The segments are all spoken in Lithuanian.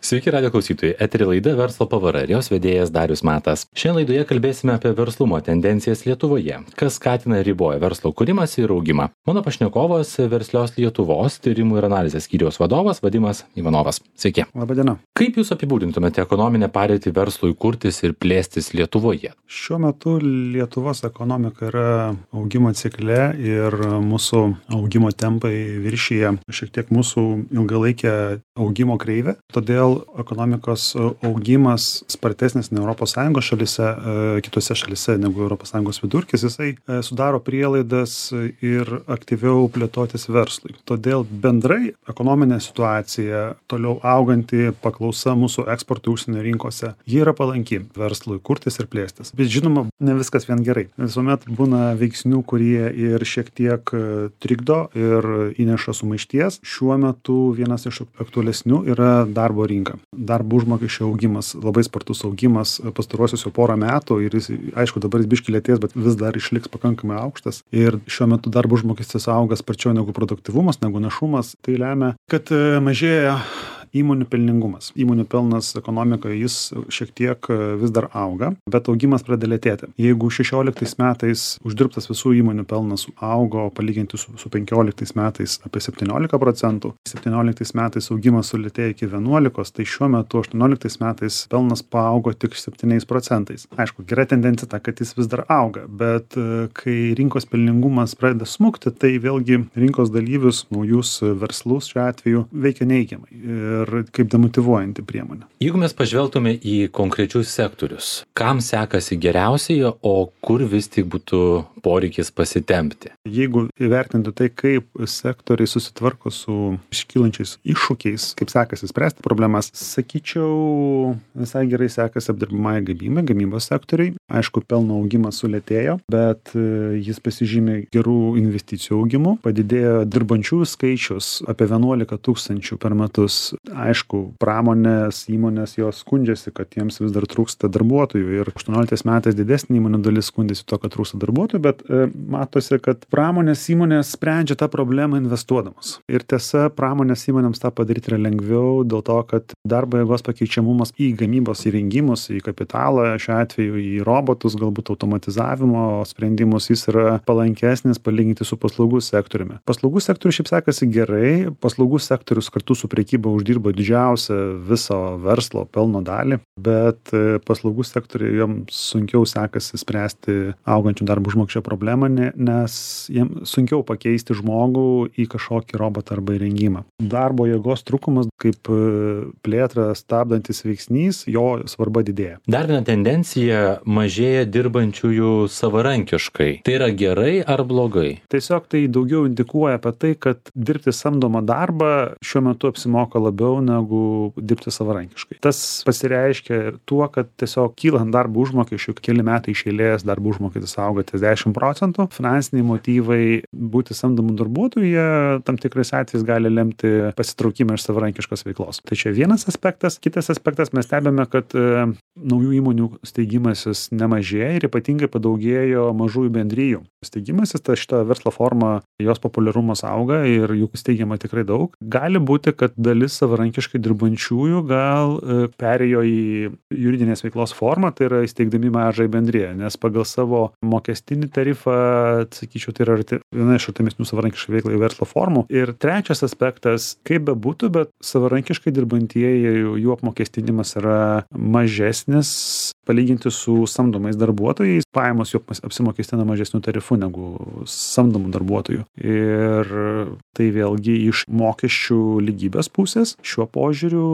Sveiki, radio klausytojai. Etery laida Verslo pavara ir jos vedėjas Darius Matas. Šiandien laidoje kalbėsime apie verslumo tendencijas Lietuvoje, kas skatina ir riboja verslo kūrimąsi ir augimą. Mano pašnekovas Verslios Lietuvos tyrimų ir analizės skyriaus vadovas Vadimas Ivanovas. Sveiki. Labadiena. Kaip jūs apibūdintumėte ekonominę padėtį verslui kurtis ir plėstis Lietuvoje? Šiuo metu Lietuvos ekonomika yra augimo cikle ir mūsų augimo tempai viršyje šiek tiek mūsų ilgalaikę augimo kreivę. Todėl ekonomikos augimas spartesnis nei ES šalyse, kitose šalyse negu ES vidurkis, jisai sudaro prielaidas ir aktyviau plėtotis verslui. Todėl bendrai ekonominė situacija, toliau auganti paklausa mūsų eksportui užsienio rinkose, ji yra palanki verslui kurtis ir plėstis. Bet žinoma, ne viskas vien gerai. Visuomet būna veiksnių, kurie ir šiek tiek trikdo ir įneša sumaišties. Šiuo metu vienas iš aktualesnių yra darbo rinka. Darbo užmokesčio augimas, labai spartus augimas pastaruosius jau porą metų ir jis, aišku, dabar jis biškį lėtės, bet vis dar išliks pakankamai aukštas. Ir šiuo metu darbo užmokestis auga sparčiau negu produktyvumas, negu našumas. Tai lemia, kad mažėja įmonių pelningumas. Įmonių pelnas ekonomikoje jis šiek tiek vis dar auga, bet augimas pradeda lėtėti. Jeigu 16 metais uždirbtas visų įmonių pelnas augo palyginti su 15 metais apie 17%, 17 metais augimas sulėtėjo iki 11%, tai šiuo metu 18 metais pelnas paaugo tik 7%. Aišku, gera tendencija ta, kad jis vis dar auga, bet kai rinkos pelningumas pradeda smukti, tai vėlgi rinkos dalyvius, naujus verslus šiuo atveju veikia neigiamai ir kaip demotyvuojanti priemonė. Jeigu mes pažvelgtume į konkrečius sektorius, kam sekasi geriausiai, o kur vis tik būtų poreikis pasitempti? Jeigu įvertinti tai, kaip sektoriai susitvarko su iškylančiais iššūkiais, kaip sekasi spręsti problemas, sakyčiau, visai gerai sekasi apdirbamąjį gamybos sektoriai. Aišku, pelno augimas sulėtėjo, bet jis pasižymė gerų investicijų augimu. Padidėjo dirbančiųjų skaičius apie 11 tūkstančių per metus. Aišku, pramonės įmonės jos skundžiasi, kad jiems vis dar trūksta darbuotojų ir 18 metais didesnė įmonių dalis skundėsi to, kad trūksta darbuotojų, bet matosi, kad pramonės įmonės sprendžia tą problemą investuodamos. Ir tiesa, pramonės įmonėms tą padaryti yra lengviau dėl to, kad darbo jėgos pakeičiamumas į gamybos įrengimus, į kapitalą, šiuo atveju į robotus, galbūt automatizavimo sprendimus, jis yra palankesnis palyginti su paslaugų sektoriumi. Paslaugų sektorius šiaip sekasi gerai, paslaugų sektorius kartu su prekyba uždirba didžiausią viso verslo pelno dalį, bet paslaugų sektoriui joms sunkiau sekasi spręsti augančių darbo užmokesčio problemą, nes jiems sunkiau pakeisti žmogų į kažkokį robotą arba įrengimą. Darbo jėgos trūkumas kaip plėtrą stabdantis veiksnys, jo svarba didėja. Dar viena tendencija - mažėja dirbančiųjų savarankiškai. Tai yra gerai ar blogai? Tiesiog tai daugiau indikuoja apie tai, kad dirbti samdomą darbą šiuo metu apsimoka labiau negu dirbti savarankiškai. Tas pasireiškia tuo, kad tiesiog kylant darbo užmokesčių, keli metai iš eilės darbo užmokestis auga ties 10%, finansiniai motyvai būti samdomų darbuotojų, jie tam tikrais atvejais gali lemti pasitraukimą iš savarankiškos veiklos. Tai čia vienas aspektas. Kitas aspektas, mes stebime, kad naujų įmonių steigimasis nemažėja ir ypatingai padaugėjo mažųjų bendrijų. Steigimasis, ta šita verslo forma, jos populiarumas auga ir jų steigiama tikrai daug. Gali būti, kad dalis savarankiškai dirbančiųjų gal perėjo į juridinės veiklos formą, tai yra įsteigdami mažąją bendriją, nes pagal savo mokestinį tarifą, sakyčiau, tai yra viena iš artimesnių savarankiškai veiklai verslo formų. Ir trečias aspektas, kaip bebūtų, bet savarankiškai dirbantieji, jų apmokestinimas yra mažesnis palyginti su samdomais darbuotojais, pajamos jų apsimokestina mažesnių tarifų negu samdomų darbuotojų. Ir tai vėlgi iš mokesčių lygybės pusės šiuo požiūriu,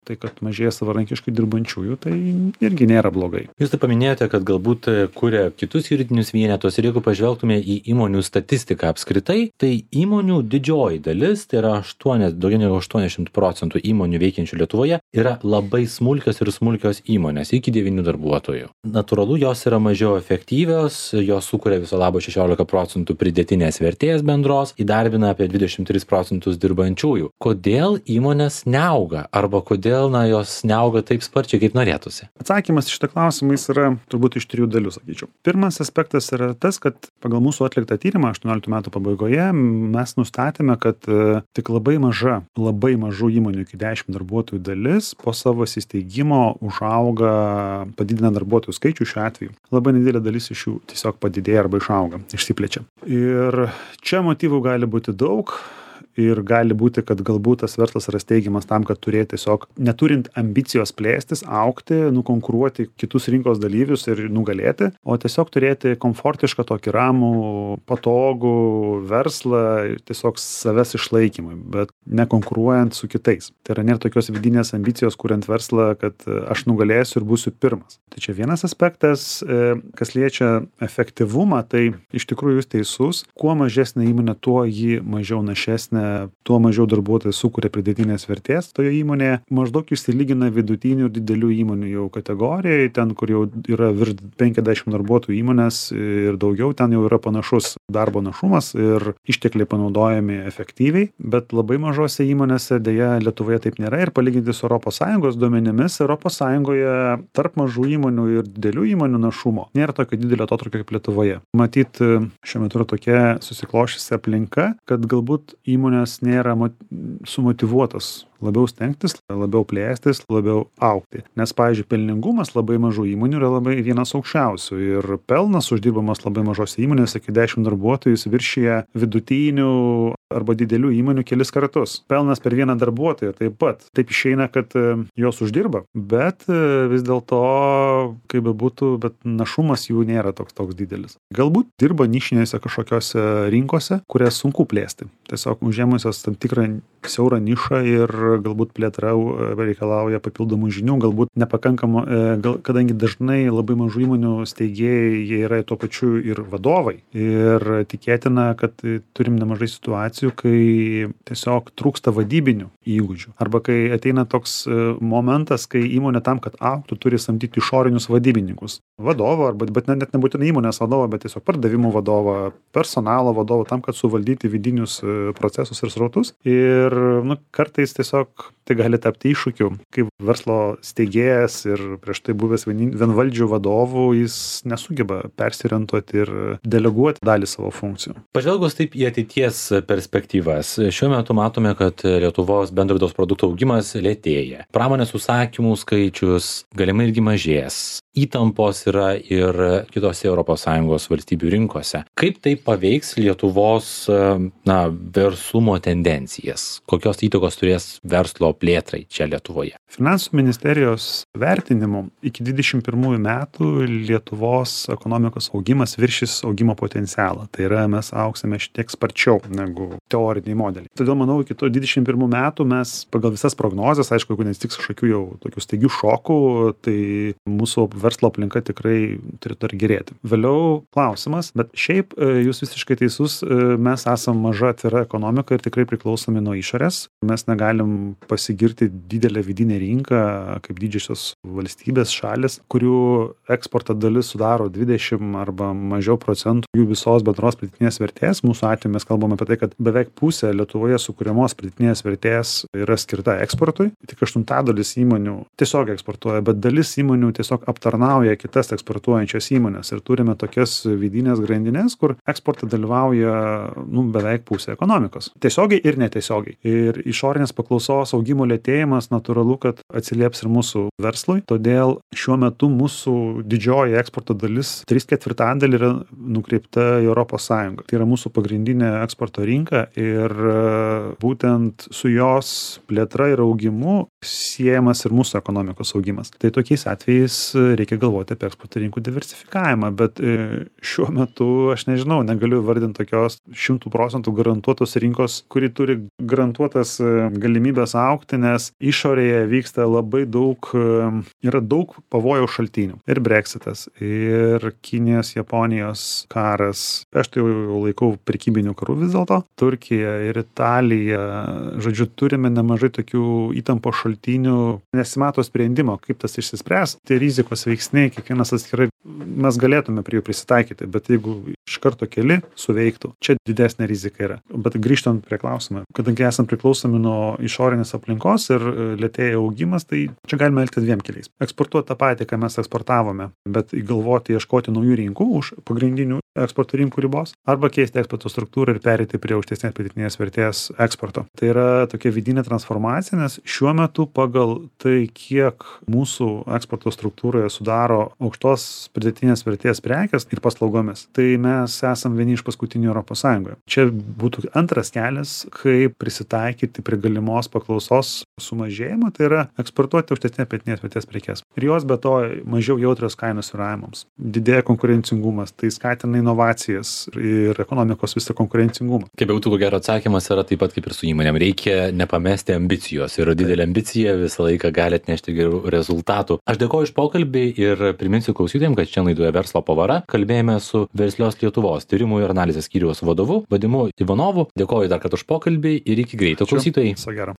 tai kad mažėja savarankiškai dirbančiųjų, tai irgi nėra blogai. Jūs tai paminėjote, kad galbūt kuria kitus juridinius vienetus ir jeigu pažvelgtume į įmonių statistiką apskritai, tai įmonių didžioji dalis, tai yra daugiau negu 80% įmonių veikiančių Lietuvoje, yra labai smulkios ir smulkios įmonės, iki 9 darbuotojų. Natūralu, jos yra mažiau efektyvios, jos sukuria viso labo 16% pridėtinės vertės bendros, įdarbina apie 23% dirbančiųjų. Kodėl įmonės neauga? Arba kodėl jos neauga taip sparčiai, kaip norėtųsi? Atsakymas į šitą klausimą yra turbūt iš 3 dalių, sakyčiau. Pirmas aspektas yra tas, kad pagal mūsų atliktą tyrimą 18 metų pabaigoje mes nustatėme, kad tik labai mažų įmonių iki 10 darbuotojų dalis po savo įsteigimo užauga, padidina darbuotojų skaičių šiuo atveju. Labai nedidelė dalis iš jų tiesiog padidėja arba išauga, išsiplečia. Ir čia motyvų gali būti daug. Ir gali būti, kad galbūt tas verslas yra steigiamas tam, kad turėti tiesiog, neturint ambicijos plėstis, augti, nukonkuruoti kitus rinkos dalyvius ir nugalėti, o tiesiog turėti komfortišką tokį ramų, patogų verslą ir tiesiog savęs išlaikymui, bet nekonkuruojant su kitais. Tai yra nėra tokios vidinės ambicijos, kuriant verslą, kad aš nugalėsiu ir būsiu pirmas. Tai čia vienas aspektas, kas liečia efektyvumą, tai iš tikrųjų jūs teisus, kuo mažesnė įmonė, tuo ji mažiau našesnė, tuo mažiau darbuotojai sukuria pridėtinės vertės toje įmonėje, maždaug išsilygina vidutinių ir didelių įmonių jau kategorijai, ten, kur jau yra virš 50 darbuotojų įmonės ir daugiau, ten jau yra panašus darbo našumas ir ištekliai panaudojami efektyviai, bet labai mažose įmonėse dėja Lietuvoje taip nėra ir palyginti su ES duomenimis, ES tarp mažų įmonių ir didelių įmonių našumo nėra tokio didelio atotrūkio kaip Lietuvoje. Matyt, šiuo metu yra tokia susiklošusi aplinka, kad galbūt įmonės nėra sumotyvuotos labiau stengtis, labiau plėstis, labiau augti. Nes, pavyzdžiui, pelningumas labai mažų įmonių yra labai vienas aukščiausių ir pelnas uždirbamas labai mažose įmonėse iki 10 darbuotojų viršyje vidutinių arba didelių įmonių kelis kartus. Pelnas per vieną darbuotoją taip pat. Taip išeina, kad jos uždirba, bet vis dėlto, kaip bebūtų, bet našumas jų nėra toks didelis. Galbūt dirba nišinėse kažkokiose rinkose, kurias sunku plėsti. Tiesiog užėmusios tam tikrą siaurą nišą ir galbūt plėtra reikalauja papildomų žinių, galbūt nepakankama, kadangi dažnai labai mažų įmonių steigėjai, jie yra tuo pačiu ir vadovai. Ir tikėtina, kad turim nemažai situacijų, kai tiesiog trūksta vadybinių įgūdžių. Arba kai ateina toks momentas, kai įmonė tam, kad augtų, turi samdyti išorinius vadybininkus. Vadovą, bet net nebūtinai įmonės vadovą, bet tiesiog pardavimų vadovą, personalo vadovą, tam, kad suvaldyti vidinius procesus ir srautus. Ir kartais tiesiog tai gali tapti iššūkiu. Kaip verslo steigėjas ir prieš tai buvęs vienvaldžių vadovų, jis nesugeba persiorientuoti ir deleguoti dalį savo funkcijų. Pažvelgus taip į ateities perspektyvas, šiuo metu matome, kad Lietuvos bendro vidaus produkto augimas lėtėja. Pramonės užsakymų skaičius galimai irgi mažės. Įtampos yra ir kitose ES valstybių rinkose. Kaip tai paveiks Lietuvos verslumo tendencijas? Kokios įtakos turės verslo plėtrai čia Lietuvoje? Finansų ministerijos vertinimu iki 2021 metų Lietuvos ekonomikos augimas viršys augimo potencialą. Tai yra, mes augsime šitiek sparčiau negu teoriniai modeliai. Todėl manau, iki to 2021 metų mes pagal visas prognozes, aišku, jeigu nesitiks kažkokių jau tokių staigių šokų, tai mūsų verslo aplinka tikrai turėtų ir gerėti. Vėliau klausimas, bet šiaip jūs visiškai teisus, mes esam maža atvira ekonomika ir tikrai priklausomi nuo išorės. Mes negalim pasigirti didelę vidinę rinką, kaip didžiosios valstybės šalis, kurių eksporto dalis sudaro 20 arba mažiau procentų jų visos bendros pridėtinės vertės. Mūsų atveju mes kalbame apie tai, kad beveik pusė Lietuvoje sukuriamos pridėtinės vertės yra skirta eksportui. Tik 1/8 įmonių tiesiog eksportuoja, bet dalis įmonių tiesiog aptarnauja kitas eksportuojančias įmonės ir turime tokias vidinės grandinės, kur eksporte dalyvauja beveik pusė ekonomikos. Tiesiogiai ir netiesiogiai. Ir išorinės paklausos augimo lėtėjimas natūralu, kad atsilieps ir mūsų verslui. Todėl šiuo metu mūsų didžioji eksporto dalis 3/4 yra nukreipta į ES. Tai yra mūsų pagrindinė eksporto rinka ir būtent su jos plėtra ir augimu siejamas ir mūsų ekonomikos augimas. Tai tokiais atvejais reikia galvoti apie eksporto rinkų diversifikavimą, bet šiuo metu aš nežinau, negaliu vardinti tokios 100% garantuotos rinkos, kuri turi garantuotas galimybės augti, nes išorėje vyksta labai daug, yra daug pavojaus šaltinių. Ir Brexitas, ir Kinijos, Japonijos karas. Aš tai jau laikau prekybinių karų vis dėlto. Turkija ir Italija. Žodžiu, turime nemažai tokių įtampos šaltinių šaltinių, nesimato sprendimo, kaip tas išsispręs. Tai rizikos veiksniai, kiekvienas atskirai mes galėtume prie jų prisitaikyti, bet jeigu iš karto keli suveiktų, čia didesnė rizika yra. Bet grįžtant prie klausimą, kadangi esam priklausomi nuo išorinės aplinkos ir lėtėja augimas, tai čia galime elgtis dviem keliais. Eksportuoti tą patį, ką mes eksportavome, bet galvoti, ieškoti naujų rinkų už pagrindinių eksporto rinkų ribos, arba keisti eksporto struktūrą ir perėti prie aukštesnės pridėtinės vertės eksporto. Tai yra tokia vidinė transformacija, nes šiuo metu pagal tai, kiek mūsų eksporto struktūroje sudaro aukštos pridėtinės vertės prekės ir paslaugomis, tai mes esam vieni iš paskutinių Europos Sąjungoje. Čia būtų antras kelias, kaip prisitaikyti prie galimos paklausos sumažėjimo, tai yra eksportuoti aukštesnės pridėtinės vertės prekes. Ir jos be to mažiau jautrios kainos svyravimams. Didėja konkurencingumas, tai skatina inovacijas ir ekonomikos visą konkurencingumą. Kaip būtų, ko gero atsakymas yra taip pat kaip ir su įmonėm. Reikia nepamesti ambicijos ir didelė ambicija visą laiką gali atnešti gerų rezultatų. Aš dėkoju už pokalbį ir priminsiu klausytojams, kad čia laidoje Verslo pavara kalbėjome su Verslios Lietuvos tyrimų ir analizės skyriaus vadovu Vadimu Ivanovu. Dėkoju dar kartą už pokalbį ir iki greito, klausytojai. Viso gero.